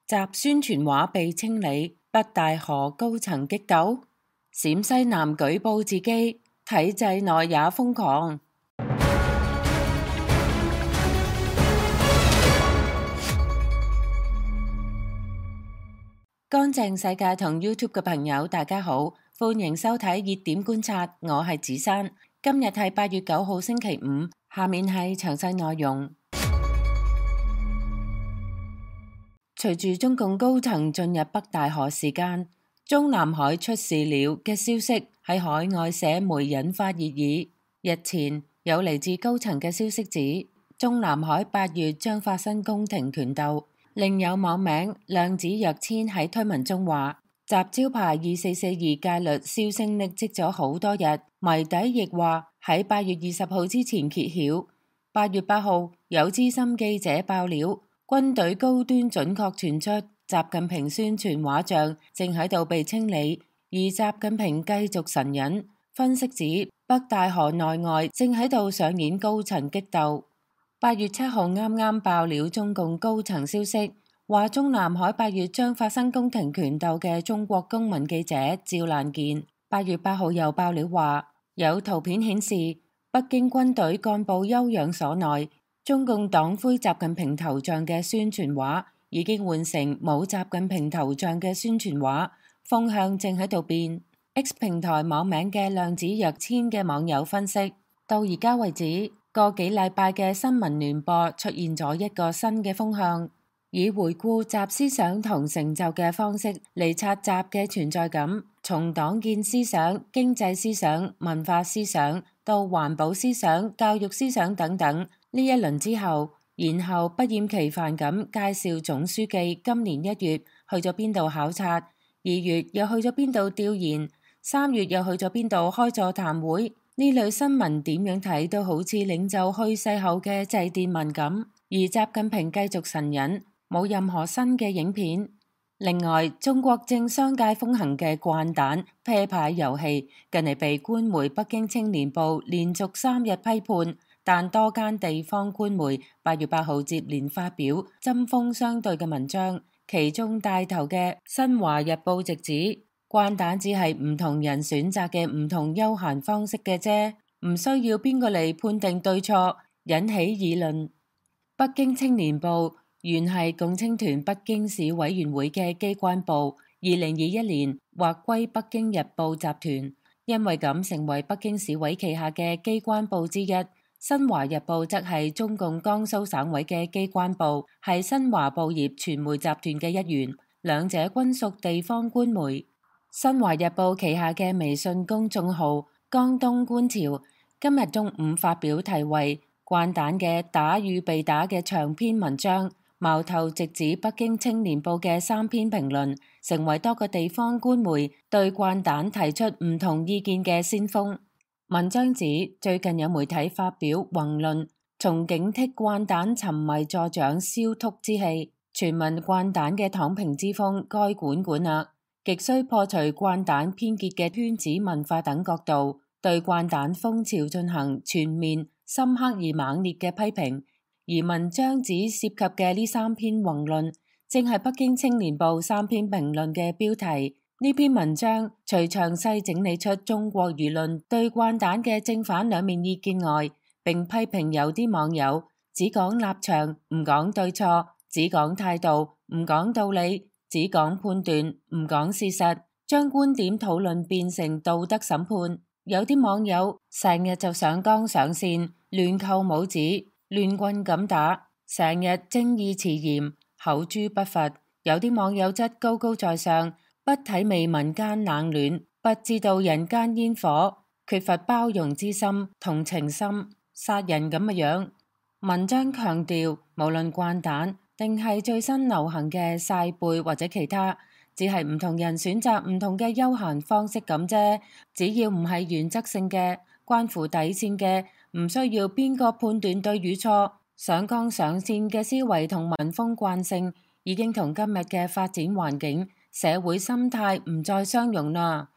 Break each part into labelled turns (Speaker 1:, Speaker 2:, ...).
Speaker 1: 集宣傳畫被清理，北大河高層激鬥。陝西男舉報自己體制內也瘋狂。乾淨世界同 YouTube 嘅朋友，大家好，歡迎收睇熱點觀察，我係子珊。今日係8月9號星期五，下面係詳細內容。隨住中共高層進入北大河時間，中南海出事了嘅消息喺海外社媒引發熱議。日前有嚟自高層嘅消息指，中南海8月將發生宮廷權鬥。另有網名量子若千喺推文中話，集招牌2442戒律銷聲匿跡咗好多日，謎底亦話喺8月20號之前揭曉。8月8號有資深記者爆料，軍隊高端準確傳出習近平宣傳畫像正喺度被清理，而習近平繼續神隱。分析指北大河內外正喺度上演高層激鬥。8月7號啱啱爆料中共高層消息，話中南海8月將發生宮廷權鬥嘅中國公民記者趙蘭健8月8號又爆料話，有圖片顯示北京軍隊幹部休養所內，中共黨魁習近平頭像嘅宣傳畫已經換成冇習近平頭像嘅宣傳畫，風向正喺度變。X 平台網名嘅量子若千嘅網友分析，到而家為止，個幾禮拜嘅新聞聯播出現咗一個新嘅風向，以回顧習思想同成就嘅方式嚟刷習嘅存在感，從黨建思想、經濟思想、文化思想到環保思想、教育思想等等。呢一輪之後，然後不厭其煩咁介紹總書記今年1月去咗邊度考察，2月又去咗邊度調研，3月又去咗邊度開座談會。呢類新聞點樣睇都好似領袖去世後嘅祭奠文咁，而習近平繼續神隱，冇任何新嘅影片。另外，中國正商界風行嘅慣蛋啤牌遊戲，近嚟被官媒北京青年報連續3日批判，但多間地方官媒8月8號接連發表針鋒相對嘅文章，其中帶頭嘅新華日報直指，慣蛋只係唔同人選擇嘅唔同休閒方式嘅啫，唔需要邊個嚟判定對錯，引起議論。北京青年報原係共青團北京市委員會嘅機關報，2021年劃歸北京日報集團，因為咁成為北京市委旗下嘅機關報之一。新華日報則係中共江蘇省委嘅機關報，係新華報業傳媒集團嘅一員，兩者均屬地方官媒。新華日報旗下嘅微信公眾號江東觀潮今日中午發表題為慣蛋嘅打與被打嘅長篇文章，矛頭直指北京青年報嘅3篇評論，成為多個地方官媒對慣蛋提出唔同意見嘅先鋒。文章指最近有媒體發表宏論，從警惕慣蛋沉迷助長燒禿之氣，傳聞慣蛋嘅躺平之風該管管啦，極需破除慣蛋偏激嘅圈子文化等角度，對慣蛋風潮進行全面、深刻而猛烈嘅批評。而文章指涉及嘅呢3篇宏論，正係北京青年報3篇評論嘅標題。呢篇文章除詳細整理出中國輿論對慣蛋嘅正反兩面意見外，並批評有啲網友只講立場唔講對錯，只講態度唔講道理，只講判斷唔講事實，將觀點討論變成道德審判。有啲網友成日就上綱上線，亂扣帽子，亂棍咁打，成日正義辭嚴，口誅筆伐。有啲網友則高高在上，不體味民間冷暖，不知道人間煙火，缺乏包容之心、同情心，殺人咁嘅樣。文章強調，無論慣蛋定係最新流行嘅曬背或者其他，只係唔同人選擇唔同嘅休閒方式咁啫。只要唔係原則性嘅、關乎底線嘅，唔需要邊個判斷對與錯。上綱上線嘅思維同文風慣性，已經同今日嘅發展環境、社會心態唔再相容啦。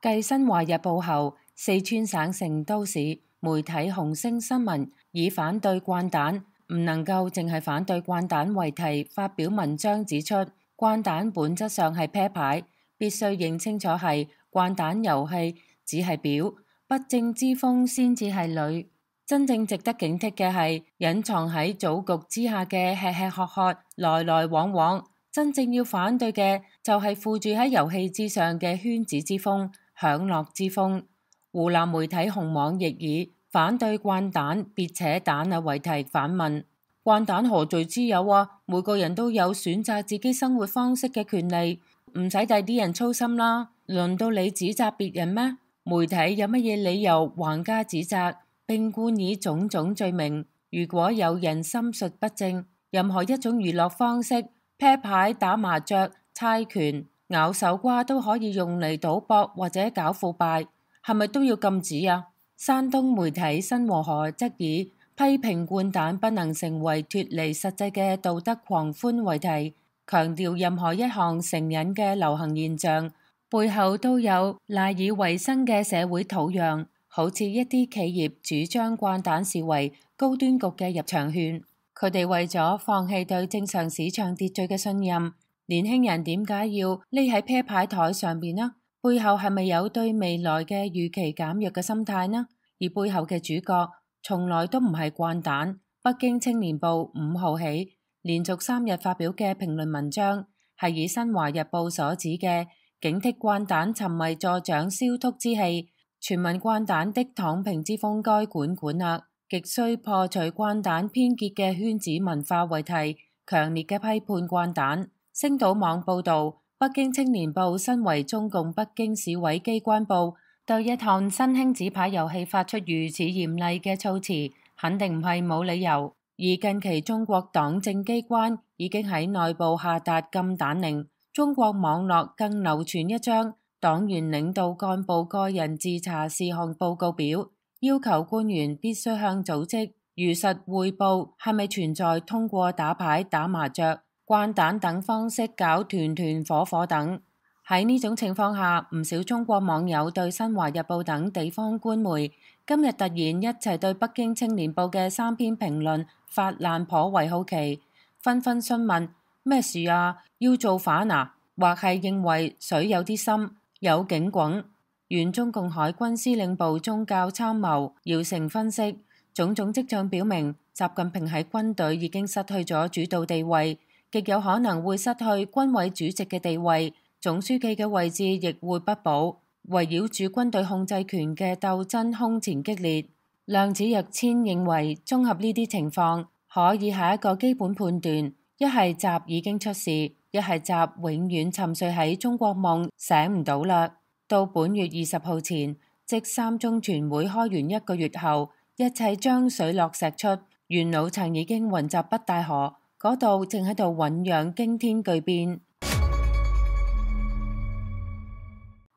Speaker 1: 繼新華日報後，四川省成都市媒體紅星新聞以反對慣蛋唔能夠淨係反對慣蛋為題發表文章指出，掼蛋本質上係啤牌，必須認清楚係掼蛋遊戲只係表，不正之風先至係裏。真正值得警惕嘅係隱藏喺組局之下嘅吃吃喝喝、來來往往。真正要反對嘅就係附住喺遊戲之上嘅圈子之風、享樂之風。湖南媒體紅網亦以反對掼蛋別扯蛋啊為題反問：掼蛋何罪之有啊？每個人都有選擇自己生活方式嘅權利，唔使第啲人操心啦。輪到你指責別人咩？媒體有乜嘢理由橫加指責，並冠以種種罪名？如果有人心術不正，任何一種娛樂方式，啤牌、打麻雀、猜拳、咬手瓜都可以用嚟賭博或者搞腐敗，係咪都要禁止啊？山東媒體新和河則以批評掼蛋不能成為脫離實際嘅道德狂歡為題，強調任何一項成癮嘅流行現象背後都有賴以為生嘅社會土壤，好似一啲企業主張掼蛋視為高端局嘅入場券。佢哋為咗放棄對正常市場秩序嘅信任，年輕人點解要匿喺啤牌台上邊呢？背後係咪有對未來嘅預期減弱嘅心態呢？而背後嘅主角從來都唔係掼蛋。北京青年報5號起連續3日發表嘅評論文章，係以新華日報所指嘅警惕掼蛋沉迷助長燒禿之氣，全民掼蛋的躺平之風該管管啦。極需破除掼蛋偏結嘅圈子文化為題，強烈嘅批判掼蛋。星島網報道，北京青年報身為中共北京市委機關報，對一項新興紙牌遊戲發出如此嚴厲嘅措辭，肯定唔係冇理由。而近期中國黨政機關已經喺內部下達禁蛋令，中國網絡更流傳一張黨員領導幹部個人自查事項報告表，要求官員必須向組織如實匯報係咪存在通過打牌、打麻雀、掼蛋等方式搞團團伙伙等。喺呢種情況下，唔少中國網友對新華日報等地方官媒今日突然一齊對北京青年報嘅3篇評論發爛，頗為好奇，紛紛詢問咩事啊？要造反啊？或係認為水有啲深，有警棍。原中共海軍司令部宗教參謀姚成分析，種種跡象表明，習近平喺軍隊已經失去咗主導地位，極有可能會失去軍委主席嘅地位，總書記嘅位置亦會不保。圍繞住軍隊控制權嘅鬥爭空前激烈。量子躍遷認為，綜合呢啲情況，可以係一個基本判斷：一係習已經出事，一係習永遠沉睡喺中國夢，醒唔到啦。到本月20號前，即3中全會開完1個月後，一切將水落石出。元老層已經雲集北戴河，嗰度正喺度醞釀驚天巨變。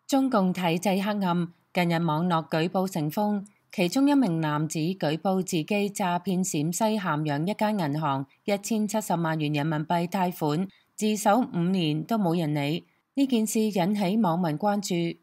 Speaker 1: 中共體制黑暗，近日網絡舉報成風，其中一名男子舉報自己詐騙陝西咸陽一間銀行1070萬元人民幣貸款，自首5年都冇人理。呢件事引起網民關注。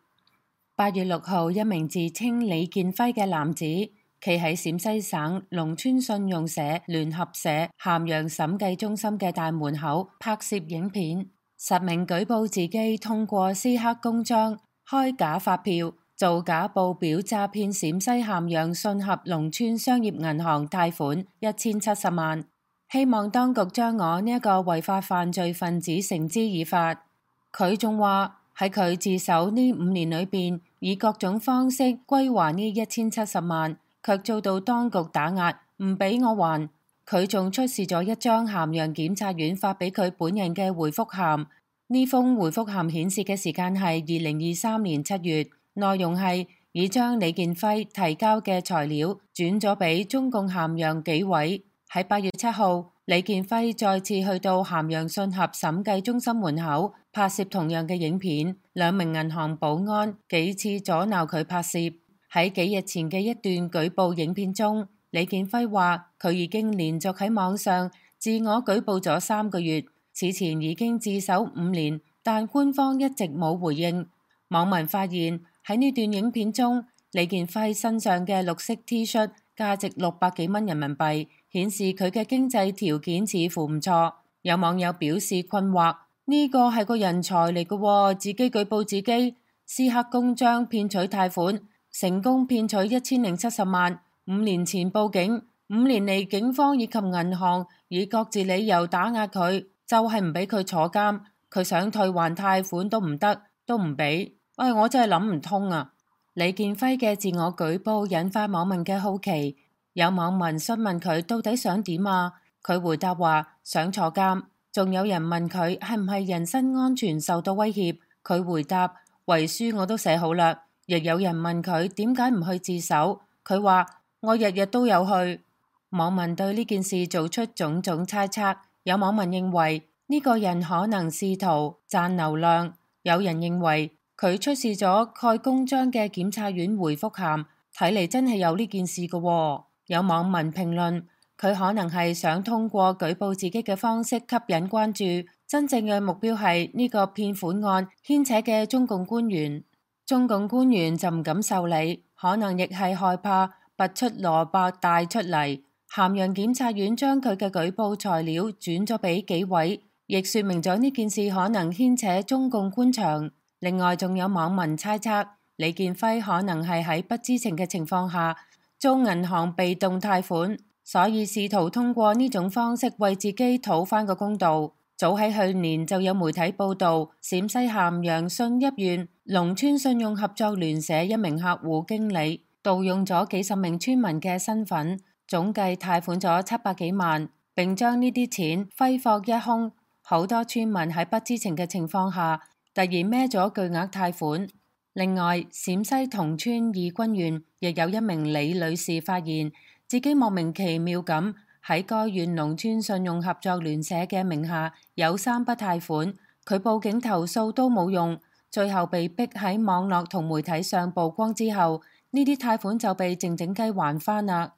Speaker 1: 8月6號，一名自稱李建輝嘅男子企喺陝西省農村信用社聯合社咸陽審計中心嘅大門口拍攝影片，實名舉報自己通過私刻公章、開假發票、造假報表詐騙陝西咸陽信合農村商業銀行貸款1070萬，希望當局將我呢一個違法犯罪分子繩之以法。佢仲話喺佢自首呢5年裏邊，以各種方式歸還呢1070萬，卻遭到當局打壓，唔俾我還。佢仲出示咗一張咸陽檢察院發俾佢本人嘅回覆函，呢封回覆函顯示嘅時間係2023年7月，內容係已將李建輝提交嘅材料轉咗俾中共咸陽紀委。喺8月7號，李建輝再次去到咸陽信合審計中心門口拍攝同樣嘅影片，2名銀行保安幾次阻撓佢拍攝。喺幾日前嘅一段舉報影片中，李建輝話佢已經連續喺網上自我舉報咗3個月，此前已經自首5年，但官方一直冇回應。網民發現喺呢段影片中，李建輝身上嘅綠色 T 恤價值600幾蚊人民幣，顯示佢嘅經濟條件似乎唔錯。有網友表示困惑，呢個係個人才嚟嘅喎，自己舉報自己，私刻公章騙取貸款，成功騙取1070萬。5年前報警，5年嚟警方以及銀行以各自理由打壓佢，就係唔俾佢坐監。佢想退還貸款都唔得，都唔俾。我真係諗唔通啊！李建輝嘅自我舉報引發網民嘅好奇，有網民詢問佢到底想點啊？佢回答話想坐監。仲有人問佢係唔係人身安全受到威脅，佢回答遺書我都寫好啦。亦有人問佢點解唔去自首，佢話我日日都有去。網民對呢件事做出種種猜測，有網民認為呢個人可能試圖賺流量，有人認為佢出示咗蓋公章嘅檢察院回覆函，睇嚟真係有呢件事嘅喎。有網民評論佢可能係想通過舉報自己嘅方式吸引關注，真正嘅目標係呢個騙款案牽扯嘅中共官員。中共官員就唔敢受理，可能亦係害怕拔出蘿蔔帶出嚟。咸陽檢察院將佢嘅舉報材料轉咗俾紀委，亦說明咗呢件事可能牽扯中共官場。另外仲有網民猜測李建輝可能係喺不知情嘅情況下遭銀行被動貸款，所以試圖通過呢種方式為自己討返個公道。早喺去年就有媒體報道，陝西咸陽信邑縣農村信用合作聯社一名客戶經理盜用咗幾十名村民嘅身份，總計貸款咗700幾萬，並將呢啲錢揮霍一空。好多村民喺不知情嘅情況下突然孭咗巨額貸款。另外，陝西同村義軍縣亦有一名李女士發現自己莫名其妙咁喺該縣農村信用合作聯社嘅名下有3筆貸款，佢報警投訴都冇用，最後被逼喺網絡同媒體上曝光之後，呢啲貸款就被靜靜雞還返啦。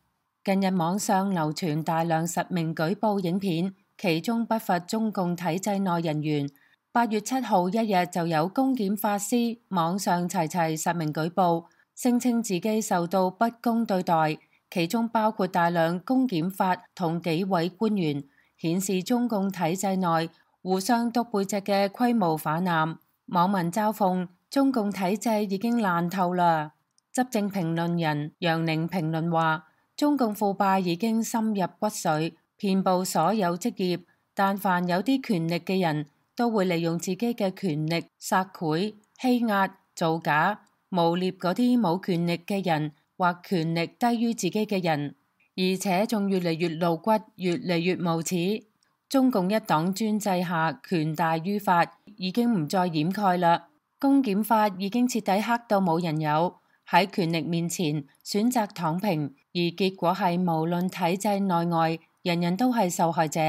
Speaker 1: 近日網上流傳大量實名舉報影片，其中不乏中共體制內人員。8月7號一日就有公檢法師網上齊齊實名舉報，聲稱自己受到不公對待。其中包括大量公檢法同紀委官員，顯示中共體制內互相篤背脊嘅規模泛濫。網民嘲諷中共體制已經爛透啦。執政評論人楊寧評論話：中共腐敗已經深入骨髓，遍佈所有職業，但凡有啲權力嘅人都會利用自己嘅權力索賄、欺壓、造假、誣衊嗰啲冇權力嘅人或權力低於自己嘅人，而且仲越嚟越露骨，越嚟越無恥。中共一黨專制下，權大於法，已經唔再掩蓋啦。公檢法已經徹底黑到冇人有，喺權力面前選擇躺平，而結果係無論體制內外，人人都係受害者。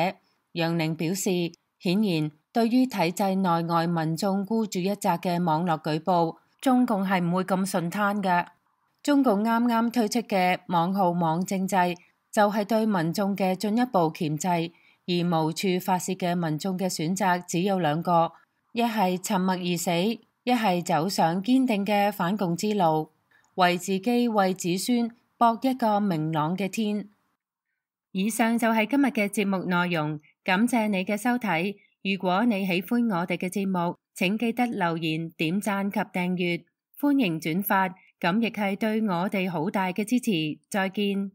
Speaker 1: 楊寧表示，顯然對於體制內外民眾孤注一擲嘅網絡舉報，中共係唔會咁順攤㗎。中共啱啱推出嘅網號網政制，就係對民眾嘅進一步鉗制，而無處發洩嘅民眾嘅選擇只有2個，一係沉默而死，一係走上堅定嘅反共之路，為自己為子孫搏一個明朗嘅天。以上就係今日嘅節目內容，感謝你嘅收睇。如果你喜歡我哋嘅節目，請記得留言、點讚及訂閱，歡迎轉發。咁亦係對我哋好大嘅支持。再見。